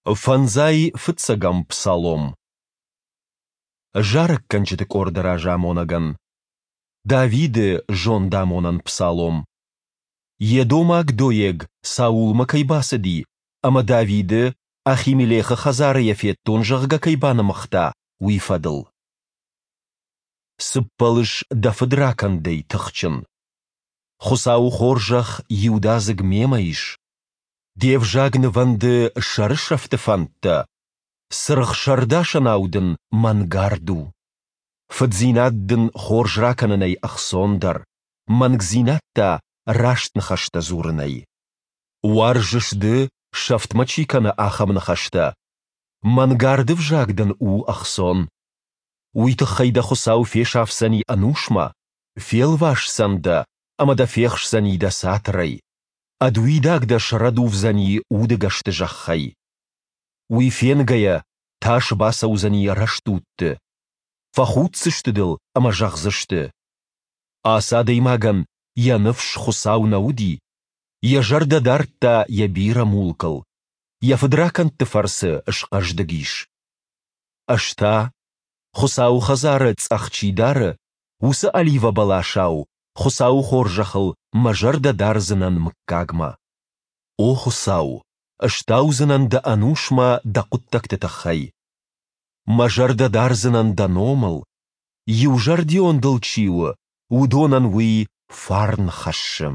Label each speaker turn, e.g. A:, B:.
A: Фӕндзай фыццӕгӕм псалом. Зарӕггӕнджыты къорды разамонӕгӕн. Давиды зондамонӕн псалом. Едомаг Доег Саулмӕ кӕй бацыди ӕмӕ Давиды Ахимелехы хӕдзары йӕ федтон, зӕгъгӕ, кӕй банымыгъта, уый фӕдыл. Цы ппӕлыс дӕ фыдракӕндӕй, тыхджын? Хуыцауы хорзӕх иудадзыг мемӕ ис. Де взаг нывӕнды сӕрысӕфты фӕндтӕ, цыргъ сӕрдасӕнау дын мӕнгард у. Фыддзинад дын хорз ракӕнынӕй ӕхцондӕр, мӕнгдзинад та раст ныхӕстӕ дзурынӕй. Уарзыс ды, сӕфтмӕ чи кӕны, ахӕм ныхӕстӕ. Мӕнгарды взаг дын у ӕхцон. Уый тыххӕй дӕ Хуыцау фесафдзӕни ӕнусмӕ, фелвасдзӕн дӕ ӕмӕ дӕ фехсдзӕни дӕ цатырӕй. Ӕд уидаг дӕ срӕдувдзӕни удыгӕсты зӕххӕй. Уый фенгӕйӕ, тас бацӕудзӕни рӕстудты. Фӕхуддзысты дыл ӕмӕ зӕгъдзысты: Ацы адӕймагӕн йӕ ныфс Хуыцау нӕ уыди, йӕ зӕрдӕ дардта йӕ бирӕ мулкыл, йӕ фыдракӕндты фӕрцы схъӕздыг ис. Ӕз та, Хуыцауы хӕдзары цъӕх чи дары, уыцы оливӕбӕласау Хуыцауы хорзӕхыл мӕ зӕрдӕ дардзынӕн мыггагмӕ. О Хуыцау, стаудзынӕн дӕ ӕнусмӕ дӕ хъуыддӕгты тыххӕй. Мӕ зӕрдӕ дардзынӕн дӕ номыл. Иузӕрдион дыл чи у, уыдонӕн уый фарн хӕссы.